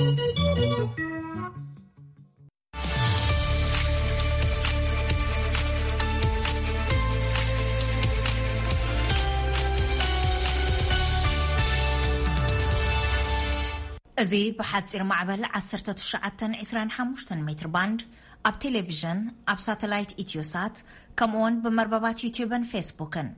እዚ ብሓጺር ማዕበል ዓሰርተ ትሽዓተ ዕስራን ሓሙሽተን ሜትር ባንድ ኣብ ቴሌቪዥን፣ ኣብ ሳተላይት ኢትዮሳት፣ ከምኡውን ብመርበባት ዩቲዩብን ፌስቡክን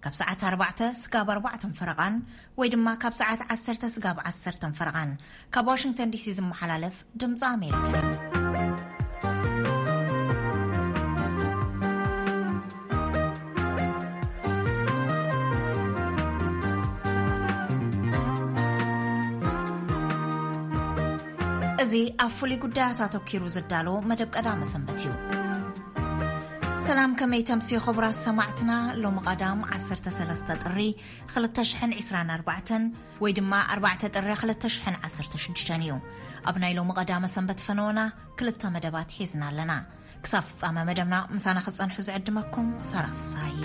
ካብ ሰዓት ኣርባዕተ ስጋብ ኣርባዕተን ፈረቓን ወይ ድማ ካብ ሰዓት ዓሰርተ ስጋብ ዓሰርተን ፈረቓን ካብ ዋሽንግተን ዲሲ ዝመሓላለፍ ድምፂ ኣሜሪካ እዩ። እዚ ኣብ ፍሉይ ጉዳያት ኣተኪሩ ዝዳሎ መደብ ቀዳመ ሰንበት እዩ። ሰላም፣ ከመይ ተምሲ ክቡራት ሰማዕትና? ሎሚ ቀዳም ዓሰርተ ሰለስተ ጥሪ ክልተ ሽሕን ዕስራን ኣርባዕተን ወይ ድማ ኣርባዕተ ጥሪ ክልተ ሽሕን ዓሰርተ ሽዱሽተን እዩ። ኣብ ናይ ሎሚ ቀዳመ ሰንበት ፈነወና ክልተ መደባት ሒዝና ኣለና። ክሳብ ፍጻመ መደብና ምሳና ክጸንሑ ዝዕድመኩም ሳራ ፍስሃየ።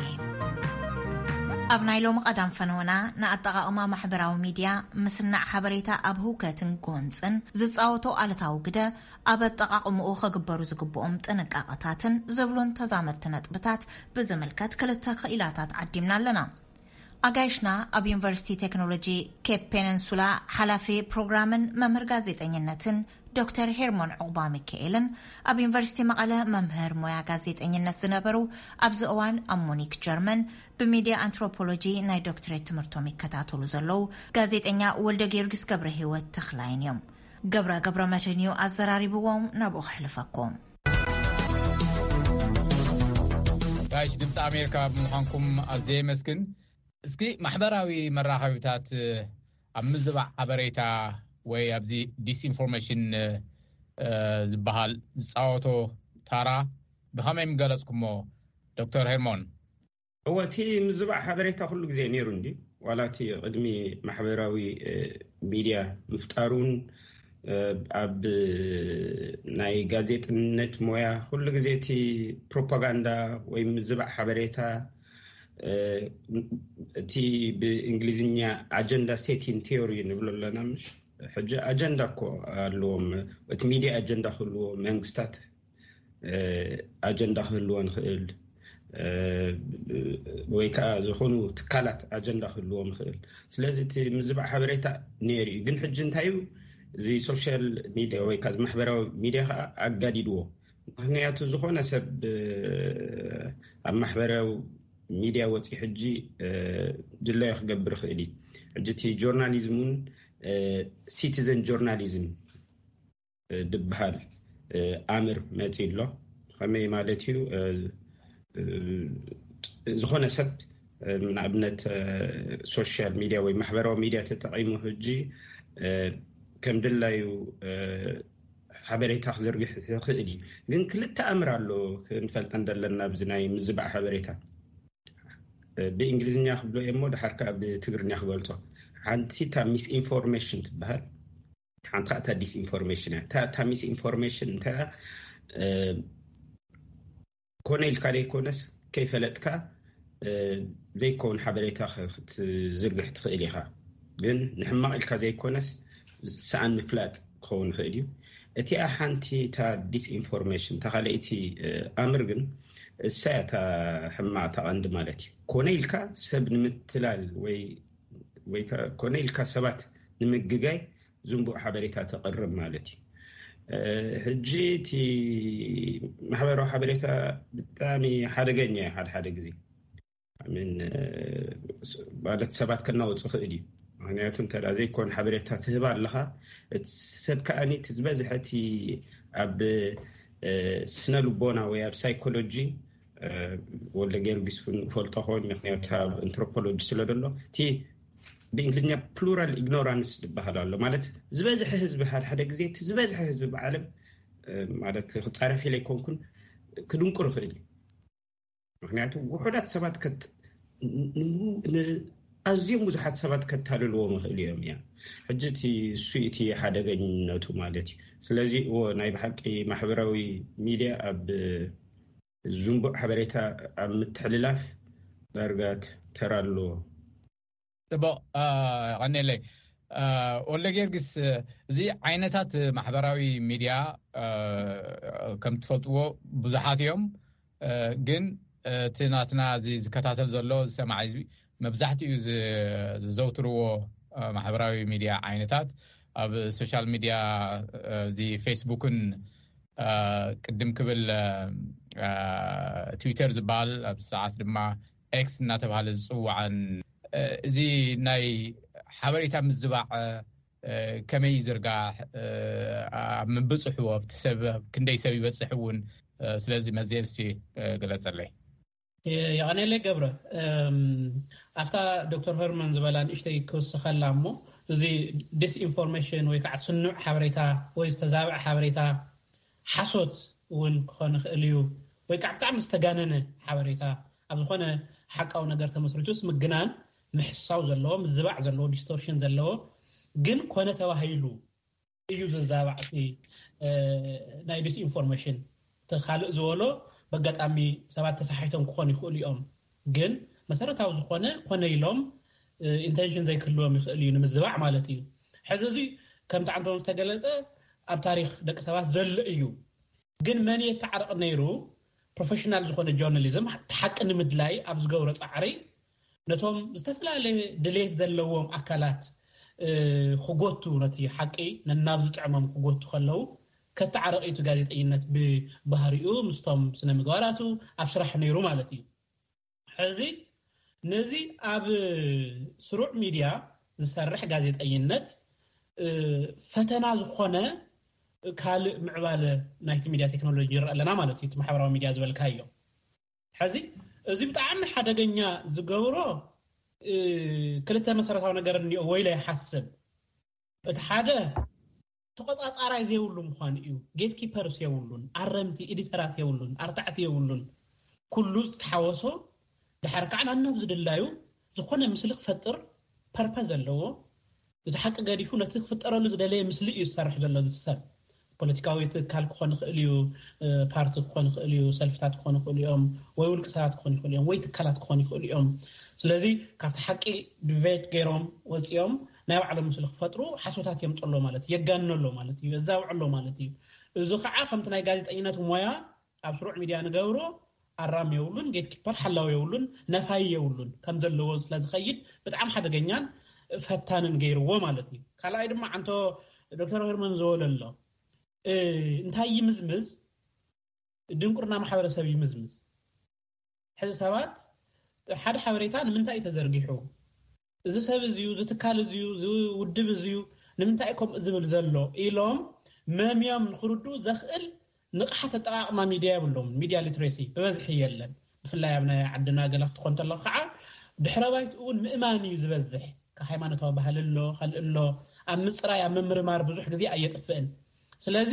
ኣብ ናይ ሎሚ ቀዳም ፈነወና ንኣጠቓቕማ ማሕበራዊ ሚድያ፣ ምስናዕ ሓበሬታ ኣብ ህውከትን ጎንጽን ዝጻወቶ ኣሉታዊ ግደ፣ ኣብ ኣጠቓቕምኡ ከግበሩ ዝግብኦም ጥንቃቐታትን ዝብሉን ተዛመድቲ ነጥብታት ብዝምልከት ክልተ ክኢላታት ዓዲምና ኣለና። ኣጋይሽና ኣብ ዩኒቨርሲቲ ቴክኖሎጂ ኬፕ ፔነንሱላ ሓላፊ ፕሮግራምን መምህር ጋዜጠኝነትን ዶክተር ሄርሞን ዑቕባ ሚካኤልን ኣብ ዩኒቨርሲቲ መቐለ መምህር ሞያ ጋዜጠኝነት ዝነበሩ፣ ኣብዚ እዋን ኣብ ሙኒክ ጀርመን ብሚድያ ኣንትሮፖሎጂ ናይ ዶክትሬት ትምህርቶም ይከታተሉ ዘለዉ ጋዜጠኛ ወልደ ጊዮርጊስ ገብረ ህይወት ተኽላይን እዮም። ገብረ ገብረ መድህን እዩ ኣዘራሪብዎም፣ ናብኡ ክሕልፈኩም። ጋይሽ ድምፂ ኣሜሪካ ብምዃንኩም ኣዝየ የመስግን። እስኪ ማሕበራዊ መራኸቢታት ኣብ ምዝባዕ ሓበሬታ ወይ ኣብዚ ዲስኢንፎርሜሽን ዝበሃል ዝፃወቶ ታራ ብኸመይ ምገለፅኩሞ ዶክተር ሄርሞን? እወ፣ እቲ ምዝባዕ ሓበሬታ ኩሉ ግዜ ነይሩ እንዲ፣ ዋላ እቲ ቅድሚ ማሕበራዊ ሚድያ ምፍጣሩን ኣብ ናይ ጋዜጥነት ሞያ ኩሉ ግዜ እቲ ፕሮፓጋንዳ ወይ ምዝባዕ ሓበሬታ፣ እቲ ብእንግሊዝኛ ኣጀንዳ ሴቲን ቲዮሪ ንብሎ ኣለና። ምሽ ሕጂ ኣጀንዳ እኮ ኣለዎም። እቲ ሚድያ ኣጀንዳ ክህልዎ፣ መንግስታት ኣጀንዳ ክህልዎ ንኽእል፣ ወይ ከዓ ዝኾኑ ትካላት ኣጀንዳ ክህልዎም ይኽእል። ስለዚ እቲ ምዝባዕ ሓበሬታ ነይሩ እዩ። ግን ሕጂ እንታይ እዩ፣ እዚ ሶሻል ሚድያ ወይ ከዓ ማሕበራዊ ሚድያ ከዓ ኣጋዲድዎ። ምኽንያቱ ዝኾነ ሰብ ኣብ ማሕበራዊ ሚድያ ወፂ ሕጂ ድላዩ ክገብር ይኽእል እዩ። ሕጂ እቲ ጆርናሊዝም እውን ሲቲዘን ጆርናሊዝም ድበሃል ኣምር መፂ ኣሎ። ከመይ ማለት እዩ? ዝኾነ ሰብ ንኣብነት ሶሻል ሚድያ ወይ ማሕበራዊ ሚድያ ተጠቒሙ ሕጂ ከም ድላዩ ሓበሬታ ክዝርግሕ ይኽእል እዩ። ግን ክልተ ኣምር ኣሎ ክንፈልጠን ዘለና ኣብዚ ናይ ምዝባዕ ሓበሬታ። ብእንግሊዝኛ ክብሎ እየ እሞ ድሓር ከዓ ብትግርኛ ክገልጾ። ሓንቲ እታ ሚስኢንፎርሜሽን ትበሃል፣ ሓንቲ እታ ዲስኢንፎርሜሽን እያ። እታ እታ ሚስኢንፎርሜሽን እንተ ኮነ ኢልካ ዘይኮነስ ከይፈለጥካ ዘይከውን ሓበሬታ ክትዝርግሕ ትኽእል ኢኻ። ግን ንሕማቕ ኢልካ ዘይኮነስ ሰኣን ምፍላጥ ክኸውን ይኽእል እዩ። እቲኣ ሓንቲ እታ ዲስኢንፎርሜሽን፣ እታ ካልኣይቲ ኣምር ግን እሳ እያ እታ ሕማቕ፣ እታ ቀንዲ ማለት እዩ። ኮነ ኢልካ ሰብ ንምትላል ወይ ወይ ከ-፣ ኮነ ኢልካ ሰባት ንምግጋይ ዝንቡዕ ሓበሬታ ተቕርብ ማለት እዩ። ሕጂ እቲ ማሕበራዊ ሓበሬታ ብጣዕሚ ሓደገኛ እዩ። ሓደ ሓደ ግዜ ምን ማለት ሰባት ከናውፅ ይኽእል እዩ። ምክንያቱ እንተ ዘይኮን ሓበሬታ ትህብ ኣለኻ፣ እቲ ሰብ ከኣኒ እቲ ዝበዝሐ እቲ ኣብ ስነ ልቦና ወይ ኣብ ሳይኮሎጂ፣ ወልደ ጊዮርጊስ እውን ፈልጦ ኾን፣ ምክንያቱ ኣብ ኣንትሮፖሎጂ ስለ ደሎ እቲ ብእንግሊዝኛ ፕሉራል ኢግኖራንስ ዝበሃል ኣሎ። ማለት ዝበዝሐ ህዝቢ ሓደ ሓደ ግዜ እቲ ዝበዝሐ ህዝቢ ብዓለም ማለት ክፃረፍ ኢለ ኣይኮንኩን ክድንቁር ይኽእል እዩ። ምክንያቱ ውሑዳት ሰባት ኣዝዮም ብዙሓት ሰባት ከታልልዎም ይኽእሉ እዮም እያ። ሕጂ እቲ እሱ እቲ ሓደገኝነቱ ማለት እዩ። ስለዚ እዎ ናይ ብሓቂ ማሕበራዊ ሚድያ ኣብ ዝንቡዕ ሓበሬታ ኣብ ምትሕልላፍ ዳርጋ ተራ ኣለዎ። ፅቡቕ። ቀኒለይ። ወልደ ጊዮርጊስ፣ እዚ ዓይነታት ማሕበራዊ ሚድያ ከም ትፈልጥዎ ብዙሓት እዮም። ግን እቲ ናትና እዚ ዝከታተል ዘሎ ዝሰማዕ ህዝቢ መብዛሕትኡ ዝዘውትርዎ ማሕበራዊ ሚድያ ዓይነታት ኣብ ሶሻል ሚድያ፣ እዚ ፌስቡክን ቅድም ክብል ትዊተር ዝበሃል፣ ኣብ ሰዓት ድማ ኤክስ እናተባሃለ ዝፅዋዕን፣ እዚ ናይ ሓበሬታ ምዝባዕ ከመይ ይዝርጋሕ፣ ኣብ ምብፅሑ ኣብቲ ሰብ ክንደይ ሰብ ይበፅሕ እውን። ስለዚ መዝየብ እስቲ ግለፀለይ። የቐኔለይ ገብረ፣ ኣብታ ዶክተር ሄርመን ዝበላ ንእሽተይ ክውስኸላ እሞ፣ እዚ ዲስኢንፎርሜሽን ወይ ከዓ ስኑዕ ሓበሬታ ወይ ዝተዛብዐ ሓበሬታ፣ ሓሶት እውን ክኾን ይኽእል እዩ፣ ወይ ከዓ ብጣዕሚ ዝተጋነነ ሓበሬታ፣ ኣብ ዝኾነ ሓቃዊ ነገር ተመስሪቱስ ምግናን፣ ምሕሳው ዘለዎ፣ ምዝባዕ ዘለዎ፣ ዲስቶርሽን ዘለዎ ግን ኮነ ተባሂሉ እዩ ዝዛባዕ እቲ ናይ ዲስኢንፎርሜሽን። እቲ ካልእ ዝበሎ በጋጣሚ ሰባት ተሳሒቶም ክኾኑ ይኽእሉ እዮም፣ ግን መሰረታዊ ዝኾነ ኮነ ኢሎም ኢንቴንሽን ዘይክህልዎም ይኽእል እዩ ንምዝባዕ ማለት እዩ። ሕዚ እዚ ከምቲ ዓንቶም ዝተገለፀ ኣብ ታሪክ ደቂ ሰባት ዘሎ እዩ። ግን መን የተዓርቕ ነይሩ? ፕሮፌሽናል ዝኾነ ጆርናሊዝም፣ ሓቂ ንምድላይ ኣብ ዝገብሮ ፃዕሪ ነቶም ዝተፈላለየ ድሌት ዘለዎም ኣካላት ክጎቱ፣ ነቲ ሓቂ ነናብ ዝጥዕሞም ክጎቱ ከለዉ፣ ከተዓርቕ እዩ እቲ ጋዜጠኝነት ብባህሪኡ ምስቶም ስነ ምግባራቱ ኣብ ስራሕ ነይሩ ማለት እዩ። ሕዚ ነዚ ኣብ ስሩዕ ሚድያ ዝሰርሕ ጋዜጠኝነት ፈተና ዝኾነ ካልእ ምዕባለ ናይቲ ሚድያ ቴክኖሎጂ ይረአ ኣለና ማለት እዩ። እቲ ማሕበራዊ ሚድያ ዝበልካዮ ሕዚ፣ እዚ ብጣዕሚ ሓደገኛ ዝገብሮ ክልተ መሰረታዊ ነገር እኒኦ ወይ ኢለ ይሓስብ። እቲ ሓደ ተቆፃፃራይ ዘይብሉ ምዃኑ እዩ። ጌትኪፐርስ የብሉን፣ ኣረምቲ ኤዲተራት የብሉን፣ ኣርታዕቲ የብሉን። ኩሉ ዝተሓወሶ ድሓር ከዓ ናናብ ዝድላዩ ዝኾነ ምስሊ ክፈጥር ፐርፐዝ ዘለዎ፣ እቲ ሓቂ ገዲፉ ነቲ ክፍጠረሉ ዝደለየ ምስሊ እዩ ዝሰርሕ ዘሎ። እዚ ሰብ ፖለቲካዊ ትካል ክኾን ይኽእል እዩ፣ ፓርቲ ክኾን ይኽእል እዩ፣ ሰልፍታት ክኾን ይኽእሉ እዮም፣ ወይ ውልቂ ሰባት ክኾን ይኽእሉ እዮም፣ ወይ ትካላት ክኾን ይኽእሉ እዮም። ስለዚ ካብቲ ሓቂ ዲቬት ገይሮም ወፂኦም ናይ ባዕሎም ምስሊ ክፈጥሩ ሓሶታት የምፅሎ ማለት እዩ፣ የጋንነሎ ማለት እዩ፣ የዛውዕሎ ማለት እዩ። እዚ ከዓ ከምቲ ናይ ጋዜጠኝነት ሞያ ኣብ ስሩዕ ሚድያ ንገብሮ ኣራም የብሉን፣ ጌትኪፐር ሓላው የብሉን፣ ነፋይ የብሉን፣ ከም ዘለዎ ስለዝኸይድ ብጣዕሚ ሓደገኛን ፈታንን ገይርዎ ማለት እዩ። ካልኣይ ድማ ዓንቶ ዶክተር ሄርመን ዘወለሎ እንታይ ይምዝምዝ? ድንቁርና ማሕበረሰብ ይምዝምዝ። ሕዚ ሰባት ሓደ ሓበሬታ ንምንታይ እዩ ተዘርጊሑ፣ እዚ ሰብ እዚዩ፣ እዚ ትካል እዚዩ፣ እዚ ውድብ እዚዩ፣ ንምንታይ ከምኡ ዝብል ዘሎ ኢሎም መምዮም ንክርድኡ ዘኽእል ንቕሓት ኣጠቓቕማ ሚድያ የብሎም። ሚድያ ሊትሬሲ ብበዝሒ የለን። ብፍላይ ኣብ ናይ ዓድና ገለ ክትኮን ተለኹ ከዓ ድሕረ ባይትኡ እውን ምእማን እዩ ዝበዝሕ። ካብ ሃይማኖታዊ ባህሊ ኣሎ፣ ካልእ ኣሎ። ኣብ ምፅራይ ኣብ ምምርማር ብዙሕ ግዜ ኣየጥፍእን። ስለዚ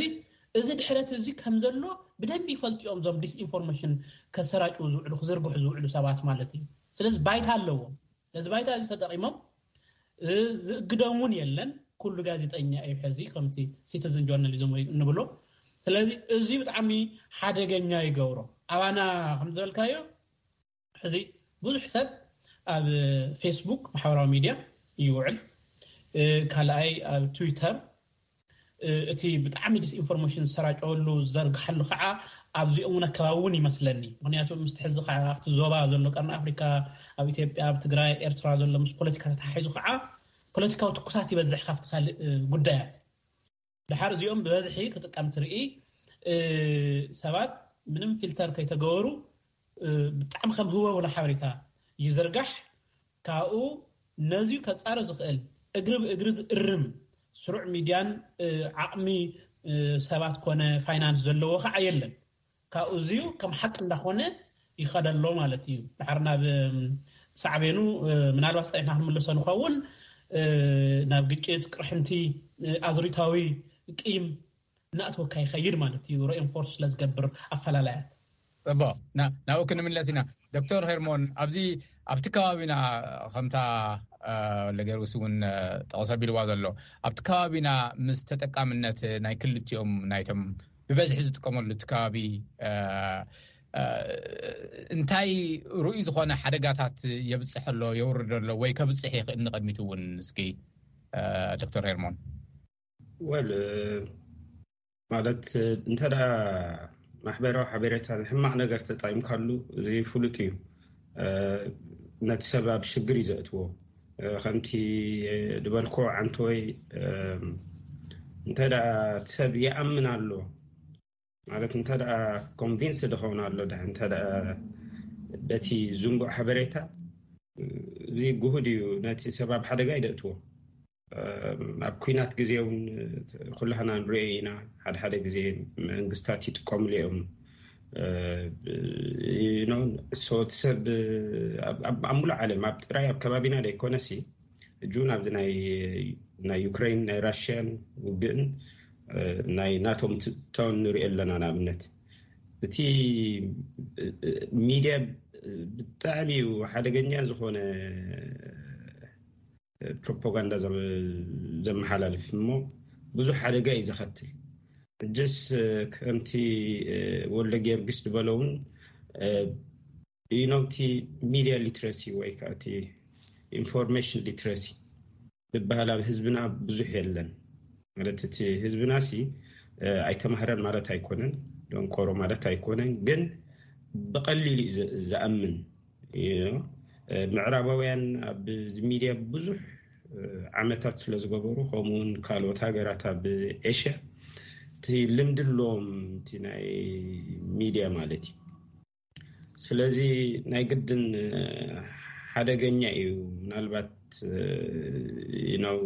እዚ ድሕረት እዚ ከም ዘሎ ብደንቢ ይፈልጡ እዮም እዞም ዲስኢንፎርሜሽን ከሰራጭው ዝውዕሉ፣ ክዝርግሑ ዝውዕሉ ሰባት ማለት እዩ። ስለዚ ባይታ ኣለዎም። ነዚ ባይታ እዚ ተጠቂሞም ዝእግዶም እውን የለን። ኩሉ ጋዜጠኛ እዩ ሕዚ ከምቲ ሲቲዝን ጆርናሊዝም ወይ እንብሎ። ስለዚ እዚ ብጣዕሚ ሓደገኛ ይገብሮ። ኣባና ከም ዝበልካዮ ሕዚ ብዙሕ ሰብ ኣብ ፌስቡክ ማሕበራዊ ሚድያ ይውዕል። ካልኣይ ኣብ ትዊተር እቲ ብጣዕሚ ዲስኢንፎርሜሽን ዝሰራጨወሉ ዝዘርግሓሉ ከዓ ኣብዚኦም እውን ኣከባቢ እውን ይመስለኒ። ምክንያቱ ምስቲ ሕዚ ከዓ ኣብቲ ዞባ ዘሎ ቀርኒ ኣፍሪካ፣ ኣብ ኢትዮጵያ፣ ኣብ ትግራይ፣ ኤርትራ ዘሎ ምስ ፖለቲካ ተተሓሒዙ ከዓ ፖለቲካዊ ትኩሳት ይበዝሕ ካብቲ ካልእ ጉዳያት። ድሓር እዚኦም ብበዝሒ ክጥቀም ትርኢ ሰባት ምንም ፊልተር ከይተገበሩ ብጣዕሚ ከም ህወውላ ሓበሬታ ይዝርጋሕ። ካብኡ ነዚዩ ከፃረ ዝኽእል እግሪ ብእግሪ ዝእርም ስሩዕ ሚድያን ዓቕሚ ሰባት ኮነ ፋይናንስ ዘለዎ ከዓ የለን። ካብኡ እዚዩ ከም ሓቂ እንዳኾነ ይኸደሎ ማለት እዩ። ድሓር ናብ ሳዕቤኑ ምናልባት ፀኒሕና ክንምልሶ ንኸውን፣ ናብ ግጭት፣ ቅርሕንቲ፣ ኣዙሪታዊ ቂም እናእተወካ ይኸይድ ማለት እዩ። ሮኤንፎርስ ስለዝገብር ኣፈላላያት እቦ ናብኡ ክንምለስ ኢና። ዶክተር ሄርሞን፣ ኣብዚ ኣብቲ ከባቢና ከምታ ለገርውስ እውን ጠቕሰ ቢልዋ ዘሎ ኣብቲ ከባቢና ምስ ተጠቃምነት ናይ ክልቲኦም ናይቶም ብበዝሒ ዝጥቀመሉ እቲ ከባቢ እንታይ ርኡይ ዝኾነ ሓደጋታት የብፅሐሎ የውርደሎ ወይ ከብፅሕ ይኽእል ንቐድሚት እውን እስኪ ዶክተር ሄርሞን? ወል ማለት እንተ ደኣ ማሕበራዊ ሓበሬታ ንሕማቕ ነገር ተጠቂምካሉ፣ እዚ ፍሉጥ እዩ። ነቲ ሰብ ኣብ ሽግር እዩ ዘእትዎ። ከምቲ ዝበልኮ፣ ዓንተወይ፣ እንተ ደኣ እቲ ሰብ ይኣምን ኣሎ ማለት፣ እንተ ደኣ ኮንቪንስ ድኸውን ኣሎ፣ ድሕ እንተ ደኣ በቲ ዝንቡዕ ሓበሬታ፣ እዚ ግሁድ እዩ፣ ነቲ ሰብ ኣብ ሓደጋ ይደእትዎ። ኣብ ኩናት ግዜ እውን ኩላህና ንሪኦ ኢና። ሓደ ሓደ ግዜ መንግስታት ይጥቀምሉ እዮም። ሶት ሰብ ኣብ ሙሉእ ዓለም፣ ኣብ ጥራይ ኣብ ከባቢና ዘይኮነሲ፣ እጁን ኣብዚ ናይ ዩክሬን ናይ ራሽያን ውግእን ናይ ናቶ ምትእትታውን ንሪኦ ኣለና። ንኣብነት እቲ ሚድያ ብጣዕሚ እዩ ሓደገኛ ዝኾነ ፕሮፓጋንዳ ዘመሓላልፍ እሞ ብዙሕ ሓደጋ እዩ ዘኸትል። እጅስ ከምቲ ወልደ ጊዮርጊስ ዝበለውን ኢኖቲ ሚድያ ሊትረሲ ወይ ከዓ እቲ ኢንፎርሜሽን ሊትረሲ ዝበሃል ኣብ ህዝብና ብዙሕ የለን። ማለት እቲ ህዝብና ሲ ኣይተማህረን ማለት ኣይኮነን፣ ደንቆሮ ማለት ኣይኮነን፣ ግን ብቐሊሉ እዩ ዝኣምን። ምዕራባውያን ኣብ ሚድያ ብዙሕ ዓመታት ስለ ዝገበሩ፣ ከምኡውን ካልኦት ሃገራት ኣብ ኤሽያ እቲ ልምዲ ኣለዎም፣ እቲ ናይ ሚድያ ማለት እዩ። ስለዚ ናይ ግድን ሓደገኛ እዩ። ምናልባት ነው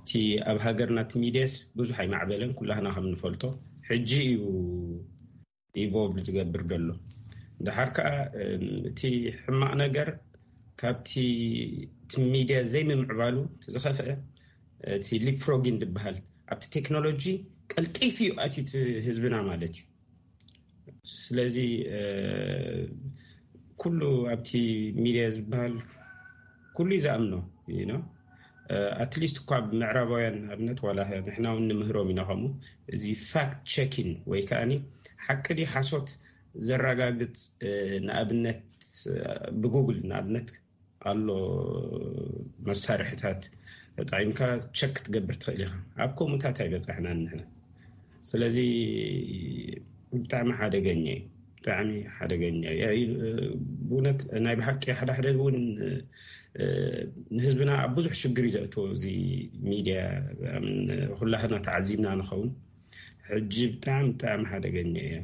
እቲ ኣብ ሃገርና እቲ ሚድያስ ብዙሕ ኣይማዕበለን፣ ኩላህና ከም ንፈልጦ ሕጂ እዩ ኢቮልቭ ዝገብር ዘሎ። ድሓር ከዓ እቲ ሕማቕ ነገር ካብቲ እቲ ሚድያ ዘይምምዕባሉ ዝኸፍአ እቲ ሊፕፍሮጊን ዝበሃል ኣብቲ ቴክኖሎጂ ቀልጢፉ እዩ ኣትዩ ህዝብና ማለት እዩ። ስለዚ ኩሉ ኣብቲ ሚድያ ዝበሃል ኩሉ እዩ ዝኣምኖ። ኣትሊስት እኳ ብምዕራባውያን ኣብነት ዋላ ንሕና እውን ንምህሮም ኢና ከምኡ። እዚ ፋክት ቸኪን ወይ ከዓኒ ሓቂ ድዩ ሓሶት ዘረጋግፅ፣ ንኣብነት ብጉግል ንኣብነት ኣሎ መሳርሕታት ተጠቂምካ ቸክ ክትገብር ትኽእል ኢኻ። ኣብ ከምኡታት ኣይበፃሕናን ንሕና። ስለዚ ብጣዕሚ ሓደገኛ እዩ፣ ብጣዕሚ ሓደገኛ እዩ። ብእውነት ናይ ብሓቂ ሓደ ሓደ እውን ንህዝብና ኣብ ብዙሕ ሽግር እዩ ዘእትዎ እዚ ሚድያ። ኩላህና ተዓዚብና ንኸውን። ሕጂ ብጣዕሚ ብጣዕሚ ሓደገኛ እያ።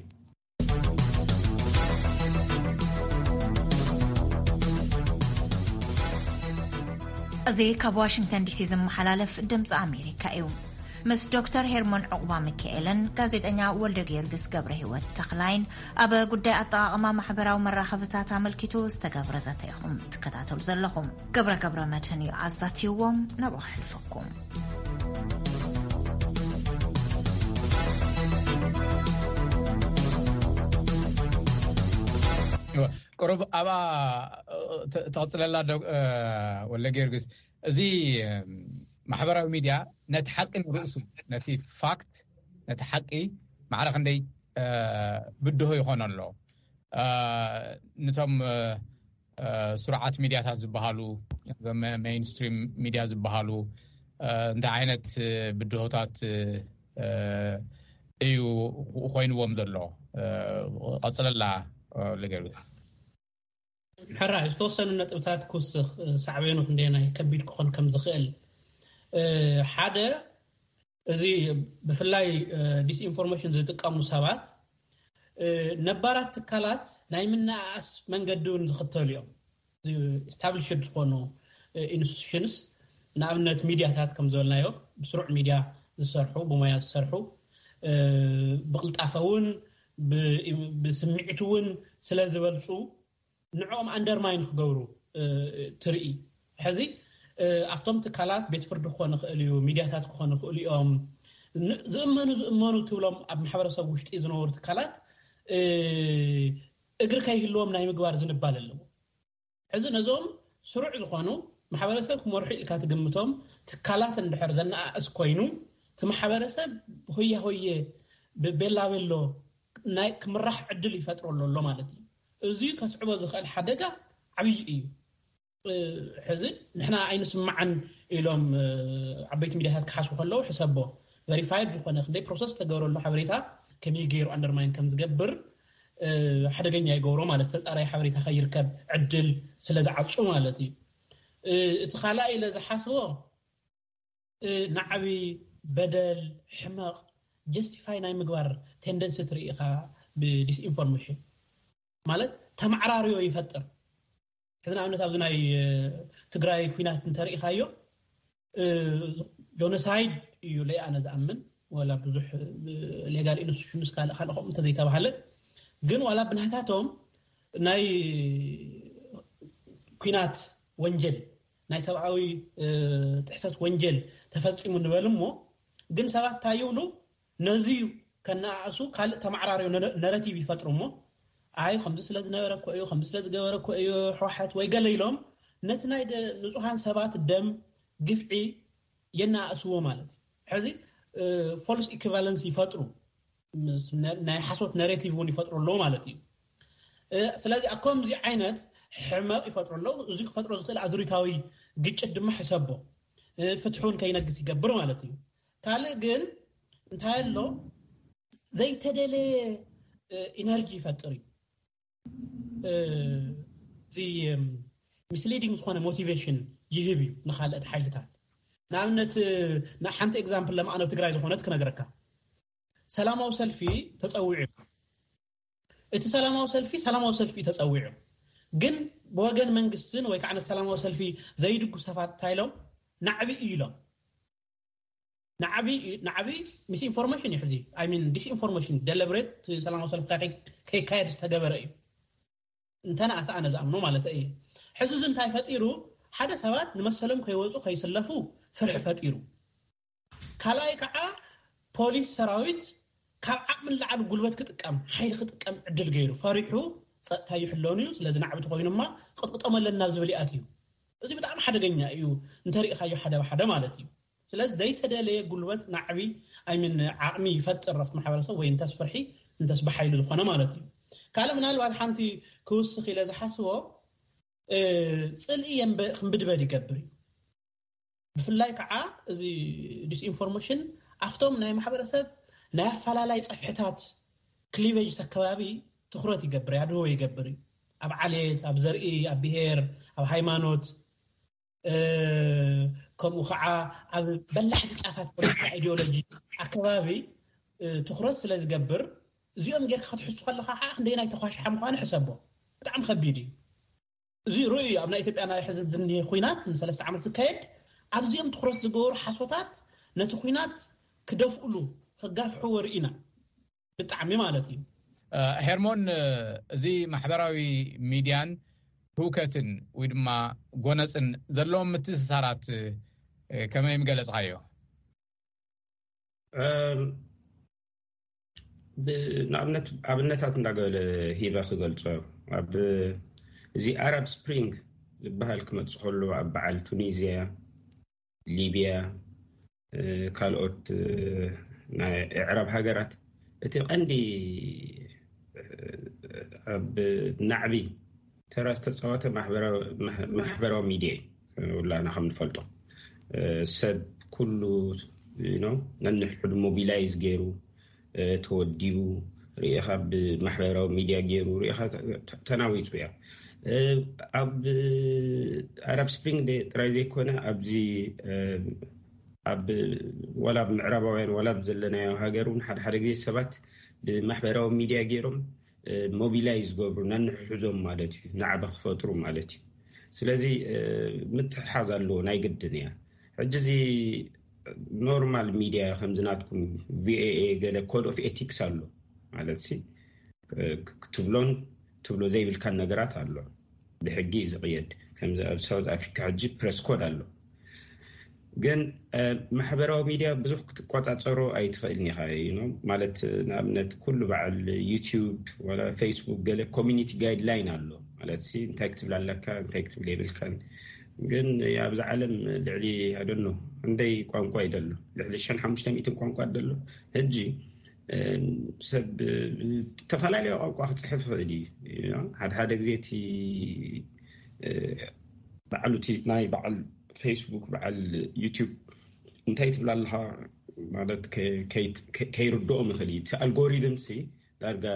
እዚ ካብ ዋሽንግተን ዲሲ ዝመሓላለፍ ድምፂ ኣሜሪካ እዩ። ምስ ዶክተር ሄርሞን ዕቑባ ሚካኤልን ጋዜጠኛ ወልደ ጊዮርጊስ ገብረ ህይወት ተኽላይን ኣብ ጉዳይ ኣጠቓቕማ ማሕበራዊ መራኸብታት ኣመልኪቱ ዝተገብረ ዘተ ኢኹም ትከታተሉ ዘለኹም። ገብረ ገብረ መድህን እዩ ኣዛትይዎም፣ ናብኡ ከሕልፈኩም። ቁሩብ ኣብኣ ተቕፅለላ ወለ ጊዮርጊስ፣ እዚ ማሕበራዊ ሚድያ ነቲ ሓቂ ንርእሱ፣ ነቲ ፋክት፣ ነቲ ሓቂ ማዕረ ክንደይ ብድሆ ይኾኖ ኣሎ። ንቶም ስሩዓት ሚድያታት ዝበሃሉ፣ ሜይንስትሪም ሚድያ ዝበሃሉ እንታይ ዓይነት ብድሆታት እዩ ኮይንዎም ዘሎ? ቀፅለላ ልገርግስ። ሕራይ ዝተወሰኑ ነጥብታት ክውስኽ፣ ሳዕቤኑ ክንደየናይ ከቢድ ክኾን ከም ዝኽእል። ሓደ፣ እዚ ብፍላይ ዲስኢንፎርሜሽን ዝጥቀሙ ሰባት ነባራት ትካላት ናይ ምንኣኣስ መንገዲ እውን ዝኽተሉ እዮም። ኢስታብሊሽድ ዝኾኑ ኢንስቲቱሽንስ፣ ንኣብነት ሚድያታት ከም ዝበልናዮ፣ ብስሩዕ ሚድያ ዝሰርሑ፣ ብሞያ ዝሰርሑ፣ ብቕልጣፈ እውን ብስምዒት እውን ስለ ዝበልፁ፣ ንዕኦም ኣንደርማይን ክገብሩ ትርኢ። ሕዚ ኣብቶም ትካላት፣ ቤት ፍርዲ ክኾኑ ይኽእል እዩ፣ ሚድያታት ክኾኑ ይኽእሉ እዮም፣ ዝእመኑ ዝእመኑ ትብሎም ኣብ ማሕበረሰብ ውሽጢ ዝነበሩ ትካላት እግሪ ከይህልዎም ናይ ምግባር ዝንባል ኣለዎ። ሕዚ ነዞም ስሩዕ ዝኾኑ፣ ማሕበረሰብ ክመርሑ ኢልካ ትግምቶም ትካላት እንድሕር ዘነኣእስ ኮይኑ፣ እቲ ማሕበረሰብ ሆያ ሆየ፣ ቤላ ቤሎ ናይ ክምራሕ ዕድል ይፈጥረሉ ኣሎ ማለት እዩ። እዚ ከስዕቦ ዝኽእል ሓደጋ ዓብዪ እዩ። ሕዚ ንሕና ኣይንስማዓን ኢሎም ዓበይቲ ሚድያታት ክሓስቡ ከለዉ ሕሰቦ። ቨሪፋይድ ዝኾነ ክንደይ ፕሮሰስ ተገብረሉ ሓበሬታ ከመይ ገይሩ ኣንደርማይን ከም ዝገብር ሓደገኛ ይገብሮ ማለት፣ ተፃራይ ሓበሬታ ከይርከብ ዕድል ስለ ዝዓፁ ማለት እዩ። እቲ ካልኣይ ኢለ ዝሓስቦ ናዕቢ፣ በደል፣ ሕመቕ ጀስቲፋይ ናይ ምግባር ቴንደንሲ ትርኢ ኢኻ ብዲስኢንፎርሜሽን ማለት ተማዕራርዮ ይፈጥር። ሕዚ ንኣብነት ኣብዚ ናይ ትግራይ ኩናት እንተርኢኻዮ ጆኖሳይድ እዩ ለይ ኣነ ዝኣምን፣ ወላ ብዙሕ ሌጋል ኢንስቲቱሽንስ ካልእ ካልእ ከምኡ እንተዘይተባሃለ ግን ዋላ ብናታቶም ናይ ኩናት ወንጀል ናይ ሰብኣዊ ጥሕሰት ወንጀል ተፈፂሙ ንበል እሞ ግን ሰባት እንታይ ይብሉ? ነዚ ከነኣእሱ ካልእ ተማዕራርዮ ነረቲቭ ይፈጥሩ እሞ ኣይ ከምዚ ስለ ዝነበረ እኮ እዩ ከምዚ ስለ ዝገበረ እኮ እዩ ሕወሓት ወይ ገለ ኢሎም ነቲ ናይ ንፁሃን ሰባት ደም ግፍዒ የነኣእስዎ ማለት እዩ። ሕዚ ፎልስ ኢኩቫለንስ ይፈጥሩ፣ ናይ ሓሶት ነሬቲቭ እውን ይፈጥሩ ኣለዉ ማለት እዩ። ስለዚ ኣብ ከምዚ ዓይነት ሕመቕ ይፈጥሩ ኣለዉ። እዚ ክፈጥሮ ዝኽእል ኣዙሪታዊ ግጭት ድማ ሕሰቦ ፍትሑን ከይነግስ ይገብር ማለት እዩ። ካልእ ግን እንታይ ኣሎ ዘይተደለየ ኢነርጂ ይፈጥር እዩ። እዚ ሚስሊዲንግ ዝኾነ ሞቲቬሽን ይህብ እዩ ንካልኦት ሓይልታት። ንኣብነት ሓንቲ ኤግዛምፕል ለማዕነብ ትግራይ ዝኾነት ክነግረካ። ሰላማዊ ሰልፊ ተፀዊዑ፣ እቲ ሰላማዊ ሰልፊ ሰላማዊ ሰልፊ ተፀዊዑ፣ ግን ብወገን መንግስትን ወይ ከዓ ነቲ ሰላማዊ ሰልፊ ዘይድጉ ሰባት እንታይ ኢሎም ናዕቢ እዩ ኢሎም ናዕቢ ናዕቢ ሚስኢንፎርሜሽን እዩ። ሕዚ ሚን ዲስኢንፎርሜሽን ደለብሬት ሰላማዊ ሰልፊ ከይካየድ ዝተገበረ እዩ። እንተነኣሰ ኣነ ዝኣምኖ ማለት እዩ። ሕዚ እዚ እንታይ ፈጢሩ? ሓደ ሰባት ንመሰሎም ከይወፁ ከይስለፉ ፍርሒ ፈጢሩ። ካልኣይ ከዓ ፖሊስ ሰራዊት ካብ ዓቕሚ ንላዕሊ ጉልበት ክጥቀም ሓይሊ ክጥቀም ዕድል ገይሩ ፈሪሑ ፀጥታ ይሕለኑ እዩ ስለዚ ናዕቢ ተኮይኑማ ቅጥቅጦም ኣለና ዝብል ይኣት እዩ። እዚ ብጣዕሚ ሓደገኛ እዩ እንተሪኢኻዮ ሓደ ብሓደ ማለት እዩ። ስለዚ ዘይተደለየ ጉልበት ናዕቢ ኣይምን ዓቕሚ ይፈጥር ኣብቲ ማሕበረሰብ ወይ እንተስ ፍርሒ እንተስ ብሓይሊ ዝኾነ ማለት እዩ። ካልእ ምናልባት ሓንቲ ክውስኽ ኢለ ዝሓስቦ ፅልኢ ክንብድበድ ይገብር እዩ። ብፍላይ ከዓ እዚ ዲስኢንፎርሜሽን ኣብቶም ናይ ማሕበረሰብ ናይ ኣፈላላይ ፀፍሕታት ክሊቬጅ ኣከባቢ ትኩረት ይገብር ያድህቦ ይገብር እዩ። ኣብ ዓሌት፣ ኣብ ዘርኢ፣ ኣብ ብሄር፣ ኣብ ሃይማኖት ከምኡ ከዓ ኣብ በላሕቲ ጫፋት ፖለቲካ ኢዲዮሎጂ ኣከባቢ ትኩረት ስለ ዝገብር እዚኦም ጌርካ ክትሕሱ ከለካ ከዓ ክንደይ ናይ ተኳሽሓ ምኳኑ ሕሰቦ። ብጣዕሚ ከቢድ እዩ። እዚ ርእዩ ኣብ ናይ ኢትዮጵያ ናይ ሕዚ ዝኒሄ ኩናት ንሰለስተ ዓመት ዝካየድ ኣብዚኦም ትኩረት ዝገበሩ ሓሶታት ነቲ ኩናት ክደፍእሉ ክጋፍሕዎ ርኢና ብጣዕሚ ማለት እዩ። ሄርሞን፣ እዚ ማሕበራዊ ሚድያን ህውከትን ወይ ድማ ጎነፅን ዘለዎም ምትእስሳራት ከመይ ምገለፅካዮ? ንኣብነት ኣብነታት እንዳገበለ ሂበ ክገልፆ ኣብ እዚ ኣራብ ስፕሪንግ ዝበሃል ክመፅእ ከሎ ኣብ በዓል ቱኒዝያ፣ ሊብያ፣ ካልኦት ናይ ኣዕራብ ሃገራት እቲ ቀንዲ ኣብ ናዕቢ ተራ ዝተፃወተ ማሕበራዊ ሚድያ እዩ። ውላና ከም ንፈልጦ ሰብ ኩሉ ነንሕድሕዱ ሞቢላይዝ ገይሩ ተወዲቡ ርኢኻ ብማሕበራዊ ሚድያ ገይሩ ርኢኻ ተናዊፁ እያ። ኣብ ኣራብ ስፕሪንግ ጥራይ ዘይኮነ ኣብዚ ኣብ ዋላ ኣብ ምዕራባውያን ዋላ ኣብ ዘለናዮ ሃገር እውን ሓደ ሓደ ግዜ ሰባት ብማሕበራዊ ሚድያ ገይሮም ሞቢላይዝ ዝገብሩ ነንሕድሕዶም ማለት እዩ ናዕቢ ክፈጥሩ ማለት እዩ። ስለዚ ምትሕሓዝ ኣለዎ ናይ ግድን እያ። ሕጂ እዚ ኖርማል ሚድያ ከምዚ ናትኩም ቪኦኤ ገለ ኮድ ኦፍ ኤቲክስ ኣሎ ማለት ሲ ክትብሎን ትብሎ ዘይብልካን ነገራት ኣሎ። ብሕጊ እዩ ዝቕየድ። ከምዚ ኣብ ሳውዝ ኣፍሪካ ሕጂ ፕረስ ኮድ ኣሎ። ግን ማሕበራዊ ሚድያ ብዙሕ ክትቆፃፀሮ ኣይትኽእልን ኢኻ ማለት ንኣብነት ኩሉ በዓል ዩቲዩብ ወላ ፌስቡክ ገለ ኮሚኒቲ ጋይድላይን ኣሎ ማለት ሲ እንታይ ክትብል ኣለካ እንታይ ክትብል የብልካን። ግን ኣብዚ ዓለም ልዕሊ ኣደኖ እንደይ ቋንቋ ይደሎ ልዕሊ ሸን ሓሙሽተ ሚእትን ቋንቋ ደሎ። ሕጂ ሰብ ዝተፈላለየ ቋንቋ ክፅሕፍ ይኽእል እዩ። ሓደ ሓደ ግዜ እቲ በዓሉ እቲ ናይ በዓል ፌስቡክ በዓል ዩቲዩብ እንታይ ትብል ኣለኻ ማለት ከይርድኦም ይኽእል እዩ። እቲ ኣልጎሪዝም ሲ ዳርጋ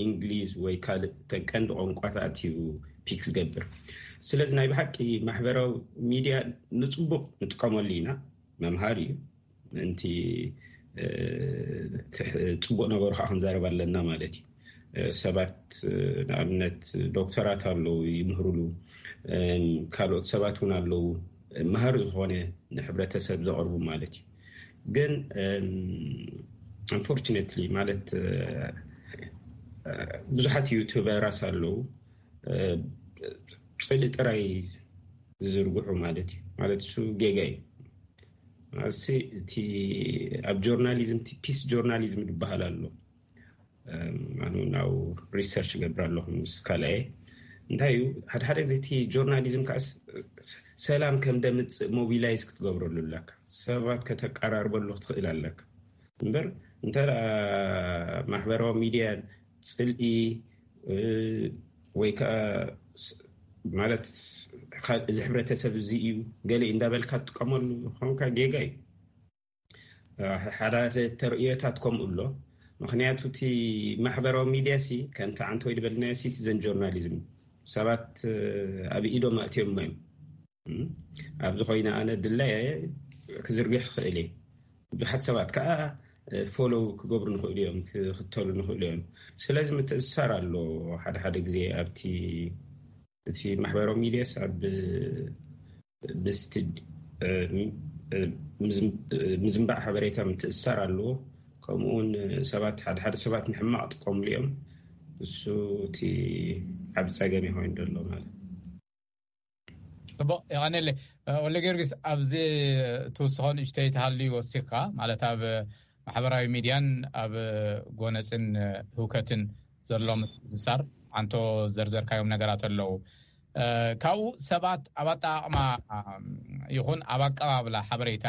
እንግሊዝ ወይ ካልእ ተን ቀንዲ ቋንቋታት እዩ ፒክ ዝገብር። ስለዚ ናይ ብሓቂ ማሕበራዊ ሚድያ ንፅቡቅ ንጥቀመሉ ኢና፣ መምሃሪ እዩ፣ ምእንቲ ፅቡቅ ነገሩ ከዓ ክንዛረብ ኣለና ማለት እዩ። ሰባት ንኣብነት ዶክተራት ኣለዉ ይምህርሉ፣ ካልኦት ሰባት እውን ኣለዉ መሃሪ ዝኾነ ንሕብረተሰብ ዘቕርቡ ማለት እዩ። ግን unfortunately ማለት ብዙሓት ዩቱበራት ኣለዉ ፅልኢ ጥራይ ዝዝርግሑ ማለት እዩ። ማለት እሱ ጌጋ እዩ። ማለት እቲ ኣብ ጆርናሊዝም እቲ ፒስ ጆርናሊዝም ዝበሃል ኣሎ። ኣነ ናብ ሪሰርች ገብር ኣለኹ ምስ ካልኣየ እንታይ እዩ ሓደ ሓደ ግዜ እቲ ጆርናሊዝም ከዓ ሰላም ከም ደምፅእ ሞቢላይዝ ክትገብረሉ ኣለካ፣ ሰባት ከተቀራርበሉ ክትኽእል ኣለካ። እምበር እንተ ማሕበራዊ ሚድያን ፅልኢ ወይ ከዓ ማለት እዚ ሕብረተሰብ እዚ እዩ ገለ እንዳበልካ ትጥቀመሉ ኾንካ ጌጋ እዩ። ሓደ ተርእዮታት ከምኡ ኣሎ። ምክንያቱ እቲ ማሕበራዊ ሚድያ ሲ ከምቲ ዓንተ ወይ ዝበልናዮ ሲቲዘን ጆርናሊዝም ሰባት ኣብ ኢዶም ኣእትዮሞ እዮም። ኣብዚ ኮይነ ኣነ ድላየ ክዝርግሕ ክኽእል እየ። ብዙሓት ሰባት ከዓ ፎሎው ክገብሩ ንኽእሉ እዮም፣ ክኽተሉ ንኽእሉ እዮም። ስለዚ ምትእስሳር ኣሎ ሓደ ሓደ ግዜ ኣብቲ እቲ ማሕበራዊ ሚድያስ ኣብ ምስቲ ምዝንባዕ ሓበሬታ ምትእስሳር ኣለዎ። ከምኡውን ሰባት ሓደ ሓደ ሰባት ንሕማቕ ጥቀምሉ እዮም። እሱ እቲ ዓብ ፀገም ይኮይን ዘሎ ማለት ጽቡቕ የቐነለ። ወለ ጊዮርጊስ ኣብዚ ትውስኾ ንእሽተይ ተሃልዩ ወሲኽካ ማለት ኣብ ማሕበራዊ ሚድያን ኣብ ጎነፅን ህውከትን ዘሎ ምትእስሳር ኣንቶ ዘርዘርካዮም ነገራት ኣለዉ። ካብኡ ሰባት ኣብ ኣጠቃቕማ ይኹን ኣብ ኣቀባብላ ሓበሬታ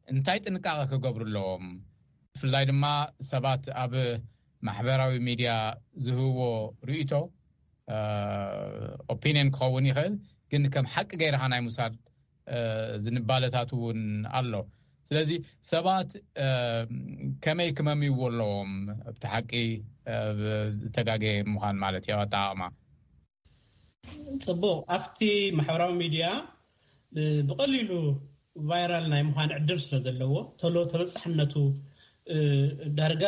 እንታይ ጥንቃቐ ክገብሩ ኣለዎም? ብፍላይ ድማ ሰባት ኣብ ማሕበራዊ ሚድያ ዝህብዎ ርእይቶ ኦፒኒየን ክኸውን ይኽእል፣ ግን ከም ሓቂ ገይርካ ናይ ምውሳድ ዝንባለታት እውን ኣሎ። ስለዚ ሰባት ከመይ ክመምይዎ ኣለዎም ኣብቲ ሓቂ ዝተጋገየ ምዃን ማለት እዩ ኣጠቃቕማ? ፅቡቅ ኣብቲ ማሕበራዊ ሚድያ ብቀሊሉ ቫይራል ናይ ምዃን ዕድል ስለ ዘለዎ ቶሎ ተበፃሕነቱ ዳርጋ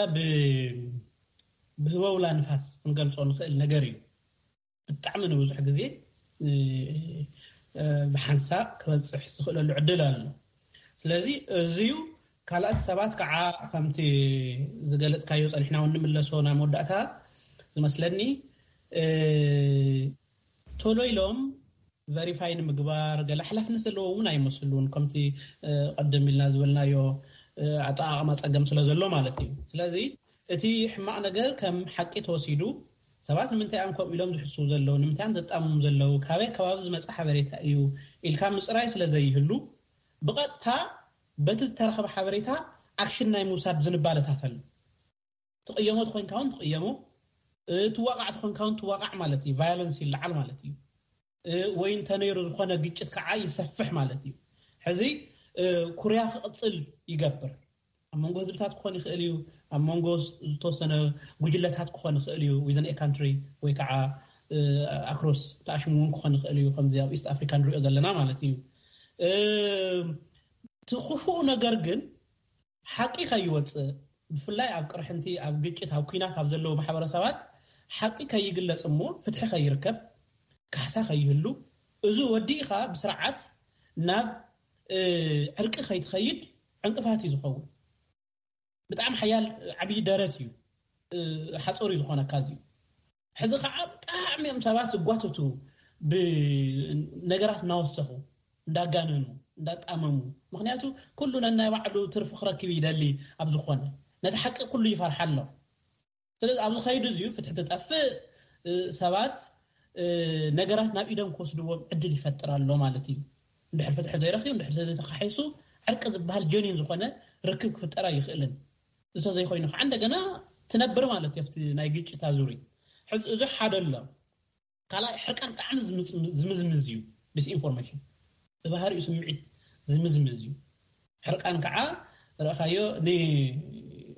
ብህበውላ ንፋስ ክንገልፆ ንኽእል ነገር እዩ። ብጣዕሚ ንብዙሕ ግዜ ብሓንሳእ ክበፅሕ ዝኽእለሉ ዕድል ኣሎ። ስለዚ እዚዩ ካልኣት ሰባት ከዓ ከምቲ ዝገለፅካዮ ፀኒሕና እውን ንምለሶ ናይ መወዳእታ ዝመስለኒ ቶሎ ኢሎም ቨሪፋይ ንምግባር ገለ ሓላፍነት ዘለዎ እውን ኣይመስሉን። ከምቲ ቀደም ኢልና ዝበልናዮ ኣጠቃቅማ ፀገም ስለ ዘሎ ማለት እዩ። ስለዚ እቲ ሕማቅ ነገር ከም ሓቂ ተወሲዱ ሰባት ንምንታይ እዮም ከምኡ ኢሎም ዝሕስቡ ዘለዉ፣ ንምንታይ እዮም ዘጣምሙ ዘለዉ፣ ካበይ ከባቢ ዝመፀ ሓበሬታ እዩ ኢልካ ምፅራይ ስለ ዘይህሉ ብቐጥታ በቲ ዝተረኸበ ሓበሬታ ኣክሽን ናይ ምውሳድ ዝንባለታት ኣሎ። ትቕየሞ ትኾይንካ እውን ትቕየሞ፣ ትዋቃዕ ትኾንካ እውን ትዋቃዕ ማለት እዩ። ቫዮለንስ ይለዓል ማለት እዩ። ወይ እንተነይሩ ዝኾነ ግጭት ከዓ ይሰፍሕ ማለት እዩ። ሕዚ ኩርያ ክቕፅል ይገብር። ኣብ መንጎ ህዝብታት ክኾን ይኽእል እዩ፣ ኣብ መንጎ ዝተወሰነ ጉጅለታት ክኾን ይኽእል እዩ፣ ዊዝን ካንትሪ ወይ ከዓ ኣክሮስ ተኣሽሙ እውን ክኾን ይኽእል እዩ። ከምዚ ኣብ ኢስት ኣፍሪካ ንሪኦ ዘለና ማለት እዩ። እቲ ክፉእ ነገር ግን ሓቂ ከይወፅእ ብፍላይ ኣብ ቅርሕንቲ ኣብ ግጭት ኣብ ኩናት ኣብ ዘለዉ ማሕበረሰባት ሓቂ ከይግለፅ እሞ ፍትሒ ከይርከብ ካሕሳ ከይህሉ እዚ ወዲእኻ ብስርዓት ናብ ዕርቂ ከይትኸይድ ዕንቅፋት እዩ ዝኸውን። ብጣዕሚ ሓያል ዓብዪ ደረት እዩ ሓፀሩ ዝኾነካ እዚ። ሕዚ ከዓ ብጣዕሚ እዮም ሰባት ዝጓተቱ ብነገራት እናወሰኹ እንዳጋነኑ እንዳጣመሙ። ምክንያቱ ኩሉ ነናይ ባዕሉ ትርፊ ክረክብ ይደሊ ኣብ ዝኾነ ነቲ ሓቂ ኩሉ ይፈርሓ ኣሎ። ስለዚ ኣብዚ ከይዱ እዚዩ ፍትሒ ትጠፍእ ሰባት ነገራት ናብ ኢዶም ክወስድዎም ዕድል ይፈጥር ኣሎ ማለት እዩ። እንድሕር ፍትሒ ዘይረክብ እንድሕር ዘይተካሒሱ ዕርቂ ዝበሃል ጀኒን ዝኾነ ርክብ ክፍጠር ኣይኽእልን። እንተዘይኮይኑ ከዓ እንደገና ትነብር ማለት እዩ ኣብቲ ናይ ግጭት ኣዙሪት። እዚ ሓደ ኣሎ። ካልኣይ ሕርቃን ብጣዕሚ ዝምዝምዝ እዩ። ዲስኢንፎርሜሽን ብባህሪኡ ስምዒት ዝምዝምዝ እዩ። ሕርቃን ከዓ ርኣኻዮ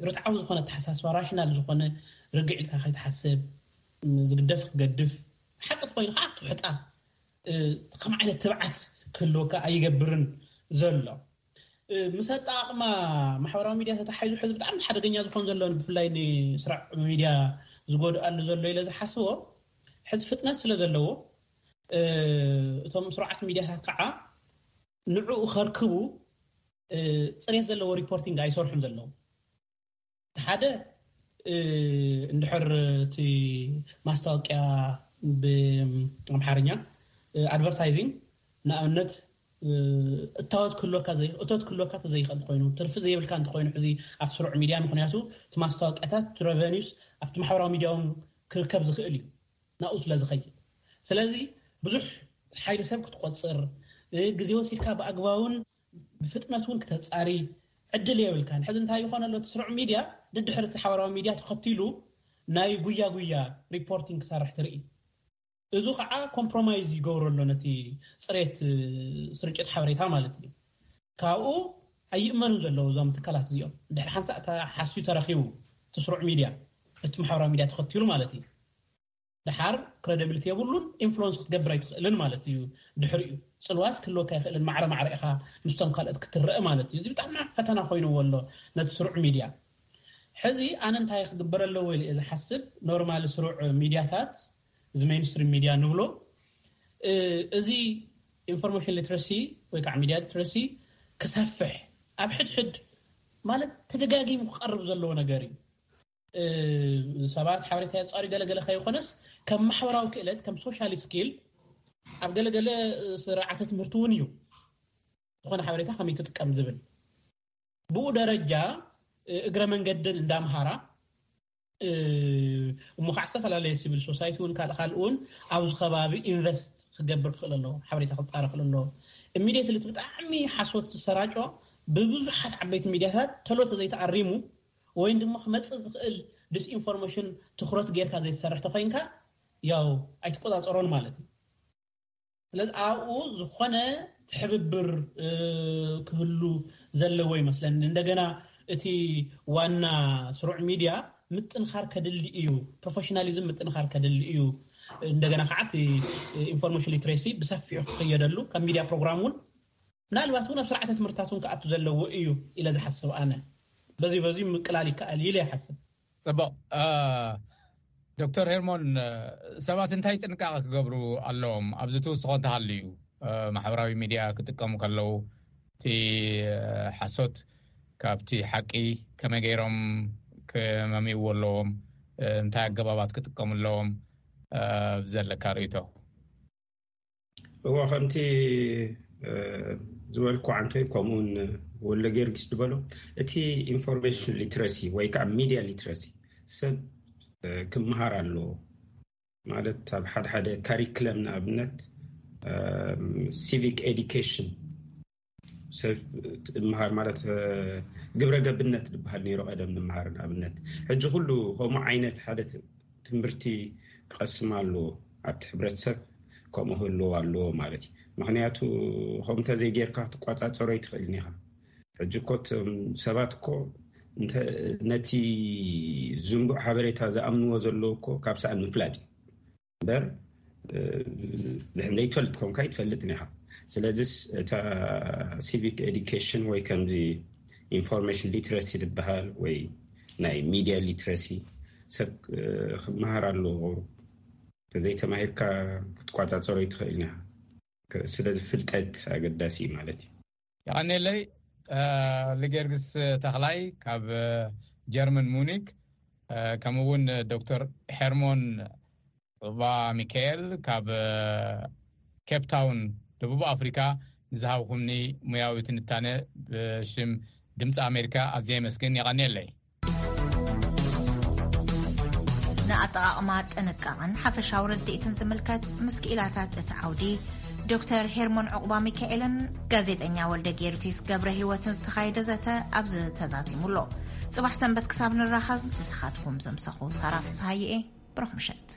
ንርትዓዊ ዝኾነ ኣተሓሳስባ፣ ራሽናል ዝኾነ፣ ርግዕ ኢልካ ከይትሓስብ፣ ዝግደፍ ክትገድፍ፣ ሓቂ ተኮይኑ ከዓ ክትውሕጣ፣ ከም ዓይነት ትብዓት ክህልወካ ኣይገብርን ዘሎ። ምስ ኣጠቓቕማ ማሕበራዊ ሚድያ ተታሒዙ ሕዚ ብጣዕሚ ሓደገኛ ዝኾን ዘሎ፣ ብፍላይ ንስራዕ ሚድያ ዝጎድኣሉ ዘሎ ኢለ ዝሓስቦ፣ ሕዚ ፍጥነት ስለ ዘለዎ፣ እቶም ስሩዓት ሚድያታት ከዓ ንዕኡ ከርክቡ፣ ጽሬት ዘለዎ ሪፖርቲንግ ኣይሰርሑን ዘለዉ። እቲ ሓደ፣ እንድሕር እቲ ማስታወቂያ ብኣምሓርኛ ኣድቨርታይዚንግ፣ ንኣብነት፣ እታወት ክህልወካ ዘይ-፣ እቶት ክህልወካ ተዘይኽእል ኮይኑ፣ ትርፊ ዘይብልካ እንተኮይኑ፣ ሕዚ ኣብ ስሩዕ ሚድያ፣ ምክንያቱ እቲ ማስታወቂያታት፣ እቲ ረቨኒውስ ኣብቲ ማሕበራዊ ሚድያ እውን ክርከብ ዝኽእል እዩ፣ ናብኡ ስለ ዝኸይድ። ስለዚ ብዙሕ ሓይሊ ሰብ ክትቆጽር፣ ግዜ ወሲድካ ብኣግባቡን ብፍጥነት እውን ክተጻሪ ዕድል የብልካን። ሕዚ እንታይ ይኾን ኣሎ? እቲ ስሩዕ ሚድያ ድድሕሪ እቲ ሓበራዊ ሚድያ ተኸቲሉ ናይ ጉያ ጉያ ሪፖርቲንግ ክሰርሕ ትርኢ። እዚ ከዓ ኮምፕሮማይዝ ይገብሮ ኣሎ ነቲ ጽሬት፣ እ፣ ስርጭት ሓበሬታ ማለት እዩ። ካብኡ ኣይእመኑን ዘለዉ እዞም ትካላት እዚኦም። ድሕሪ ሓንሳእ ተሓስዩ ተረኺቡ እቲ ስሩዕ ሚድያ፣ እቲ ማሕበራዊ ሚድያ ተኸቲሉ ማለት እዩ። ድሓር ክረዲቢሊቲ የብሉን፣ ኢንፍሉወንስ ክትገብር ኣይትኽእልን ማለት እዩ። ድሕሪኡ ጽልዋስ ክህልወካ ኣይኽእልን፣ ማዕረ ማዕረ ኢኻ ምስቶም ካልኦት ክትረአ ማለት እዩ። እዚ ብጣዕሚ ፈተና ኮይንዎ ኣሎ ነቲ ስሩዕ ሚድያ። ሕዚ ኣነ እንታይ ክግበር ኣለዎ ኢለ እየ ዝሓስብ፣ ኖርማል ስሩዕ ሚድያታት፣ እዚ ሜይንስትሪም ሚድያ ንብሎ፣ እ፣ እዚ ኢንፎርሜሽን ሊትረሲ ወይ ከዓ ሚድያ ሊትረሲ ክሰፍሕ፣ ኣብ ሕድሕድ ማለት ተደጋጊሙ ክቐርብ ዘለዎ ነገር እዩ። እ፣ ሰባት ሓበሬታ የጻሪ ገለገለ ከይኮነስ፣ ከም ማሕበራዊ ክእለት፣ ከም ሶሻል ስኪል፣ ኣብ ገለገለ ስርዓተ ትምህርቲ እውን እዩ። ዝኾነ ሓበሬታ ከመይ ትጥቀም ዝብል። ብኡ ደረጃ፣ እ፣ እግረ መንገድን እንዳምሃራ፣ እ፣ እሞ ከዓ ዝተፈላለየ ሲቪል ሶሳይቲ እውን ካልእ ካልእ እውን ኣብዚ ከባቢ ኢንቨስት ክገብር ክኽእል ኣለዎ፣ ሓበሬታ ክጻረ ክኽእል ኣለዎ። ኢሚዲየትሊ እቲ ብጣዕሚ ሓሶት ዝሰራጮ ብብዙሓት ዓበይቲ ሚድያታት ተሎ ተዘይተኣሪሙ፣ ወይም ድማ ክመጽእ ዝኽእል ዲስኢንፎርሜሽን ትኹረት ጌርካ ዘይትሰርሕ ተኾይንካ፣ ያው ኣይትቆጻጸሮን ማለት እዩ። ስለዚ ኣብኡ ዝኾነ ትሕብብር፣ እ፣ ክህሉ ዘለዎ ይመስለኒ። እንደገና እቲ ዋና ስሩዕ ሚድያ ምጥንኻር ከድሊ እዩ፣ ፕሮፌሽናሊዝም ምጥንኻር ከድሊ እዩ። እንደገና ከዓ እቲ ኢንፎርሜሽን ሊትሬሲ ብሰፊሑ ክኽየደሉ፣ ከም ሚድያ ፕሮግራም እውን ምናልባት እውን ኣብ ስርዓተ ትምህርትታት እውን ክኣቱ ዘለዎ እዩ ኢለ ዝሓስብ ኣነ። በዚ በዚ ምቅላል ይከኣል ኢለ ይሓስብ። ጽቡቕ። እ፣ ዶክተር ሄርሞን፣ እ፣ ሰባት እንታይ ጥንቃቐ ክገብሩ ኣለዎም? ኣብዚ ትውስኾ እንተሃልዩ፣ እ፣ ማሕበራዊ ሚድያ ክጥቀሙ ከለዉ፣ እቲ፣ እ፣ ሓሶት ካብቲ ሓቂ ከመይ ገይሮም ክመምይዎ ኣለዎም? እ፣ እንታይ ኣገባባት ክጥቀሙ ኣለዎም? እ፣ ዘለካ ርእይቶ? እዎ፣ ከምቲ፣ እ፣ ዝበልኩ ዓንቶይ፣ ከምኡውን ወልደ ጊዮርጊስ ዝበሎ፣ እቲ ኢንፎርሜሽን ሊትረሲ ወይ ከዓ ሚድያ ሊትረሲ ሰብ፣ እ፣ ክመሃር ኣለዎ። ማለት ኣብ ሓደ ሓደ ካሪክለም ንኣብነት፣ እ፣ ሲቪክ ኤዲኬሽን ሰብ እምሃር ማለት፣ እ፣ ግብረ ገብነት ዝበሃል ነይሩ ቀደም ንምሃር ንኣብነት። ሕጂ ኩሉ ከምኡ ዓይነት ሓደ ት-፣ ትምህርቲ ክቐስም ኣለዎ። ኣብቲ ሕብረተሰብ ከምኡ ክህልዎ ኣለዎ ማለት እዩ። ምኽንያቱ ከምኡ እንተዘይጌርካ ክትቋጻጸሮ ኣይትኽእልን ኢኻ። ሕጂ እኮ እቶም ሰባት እኮ እንተ-፣ ነቲ ዝንቡዕ ሓበሬታ ዝኣምንዎ ዘለዉ እኮ ካብ ሰኣን ምፍላጥ እዩ። እምበር፣ እ፣ ዘይትፈልጥ ኮንካ ኣይትፈልጥን ኢኻ። ስለዚስ እታ ሲቪክ ኤዲኬሽን ወይ ከምዚ ኢንፎርሜሽን ሊትረሲ ዝበሃል ወይ ናይ ሚድያ ሊትረሲ ሰብ፣ እ፣ ክመሃር ኣለዎ። ተዘይተማሂርካ ክትቋጻጸሮ ኣይትኽእልን ኢኻ። ክ-፣ ስለዚ ፍልጠት ኣገዳሲ እዩ ማለት እዩ። የቐኔለይ፣ እ፣ ልጌርግስ ተኽላይ ካብ፣ እ፣ ጀርመን ሙኒክ፣ እ፣ ከምኡ እውን ዶክተር ሄርሞን ዑባ ሚካኤል ካብ፣ እ፣ ኬፕ ታውን ደቡብ ኣፍሪካ ንዝሃብኩምኒ ሙያዊ ትንታነ ብሽም ድምፂ ኣሜሪካ ኣዝየ የመስግን። የቐኔለይ። ንኣጠቓቕማ ጥንቃቐን ሓፈሻዊ ርድኢትን ዝምልከት ምስ ክኢላታት እቲ ዓውዲ ዶክተር ሄርሞን ዑቕባ ሚካኤልን ጋዜጠኛ ወልደ ጊዮርጊስ ገብረ ህይወትን ዝተኻየደ ዘተ ኣብዚ ተዛዚሙ ኣሎ። ጽባሕ ሰንበት ክሳብ ንራኸብ፣ ምሳኻትኩም ዘምሰኹ ሳራ ፍስሃየ እየ። ብሩኽ ምሸት።